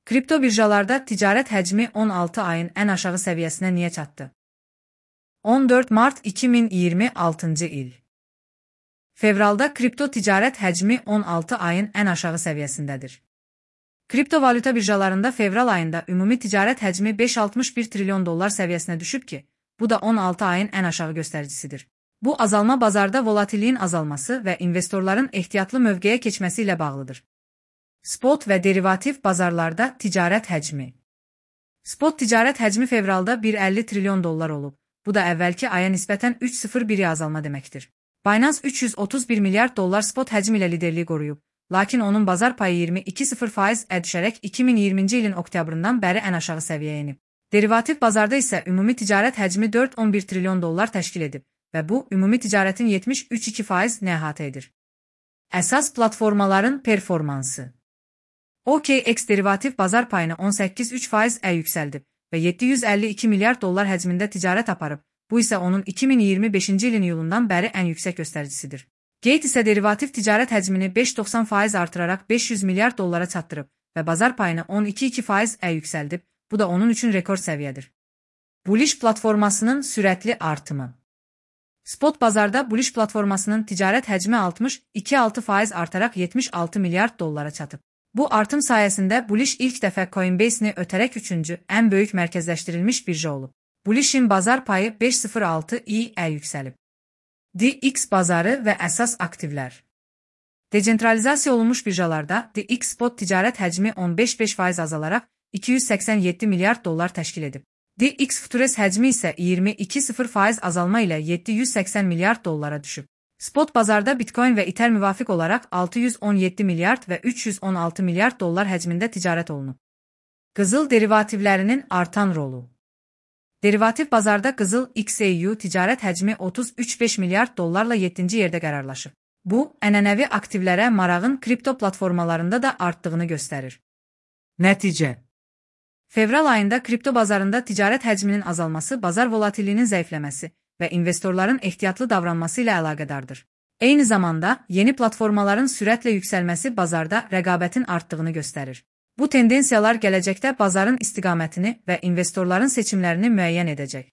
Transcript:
Kripto birjalarda ticarət həcmi 16 ayın ən aşağı səviyyəsinə niyə çatdı? 14 mart 2026-cı il. Fevralda kripto ticarət həcmi 16 ayın ən aşağı səviyyəsindədir. Kriptovalyuta birjalarında fevral ayında ümumi ticarət həcmi 5,61 trilyon dollar səviyyəsinə düşüb ki, bu da 16 ayın ən aşağı göstəricisidir. Bu azalma bazarda volatilliyin azalması və investorların ehtiyatlı mövqeyə keçməsi ilə bağlıdır. Spot və derivativ bazarlarda ticarət həcmi. Spot ticarət həcmi fevralda 1,50 trilyon dollar olub. Bu da əvvəlki aya nisbətən 3,01 azalma deməkdir. Binance 331 milyard dollar spot həcmi ilə liderliyi qoruyub, lakin onun bazar payı 22,0% düşərək 2020-ci ilin oktyabrından bəri ən aşağı səviyyəyə enib. Derivativ bazarda isə ümumi ticarət həcmi 4,11 trilyon dollar təşkil edib və bu, ümumi ticarətin 73,2%-ni əhatə edir. Əsas platformaların performansı. OKX derivativ bazar payını 18,3%-ə yüksəldib və 752 milyard dollar həcmində ticarət aparıb, bu isə onun 2025-ci ilin iyulundan bəri ən yüksək göstəricisidir. Gate isə derivativ ticarət həcmini 5,90% artıraraq 500 milyard dollara çatdırıb və bazar payını 12,2%-ə yüksəldib, bu da onun üçün rekord səviyyədir. Bullish platformasının sürətli artımı. Spot bazarda Bullish platformasının ticarət həcmi 62,6% artaraq 76 milyard dollara çatıb. Bu artım sayəsində Bullish ilk dəfə Coinbase-ni ötərək üçüncü ən böyük mərkəzləşdirilmiş birja olub. Bullish'in bazar payı 5,06%-ə yüksəlib. DX bazarı və əsas aktivlər. Decentralizasiya olunmuş birjalarda DX spot ticarət həcmi 15,5% azalaraq 287 milyard dollar təşkil edib. DX Futures həcmi isə 22,0% azalma ilə 780 milyard dollara düşüb. Spot bazarda Bitcoin və Ether müvafiq olaraq 617 milyard və 316 milyard dollar həcmində ticarət olunub. Qızıl derivativlərinin artan rolu. Derivativ bazarda qızıl XAU ticarət həcmi 33,5 milyard dollarla 7-ci yerdə qərarlaşıb. Bu, ənənəvi aktivlərə marağın kripto platformalarında da artdığını göstərir. Nəticə. Fevral ayında kripto bazarında ticarət həcminin azalması bazar volatilliyinin zəifləməsi və investorların ehtiyatlı davranması ilə əlaqədardır. Eyni zamanda, yeni platformaların sürətlə yüksəlməsi bazarda rəqabətin artdığını göstərir. Bu tendensiyalar gələcəkdə bazarın istiqamətini və investorların seçimlərini müəyyən edəcək.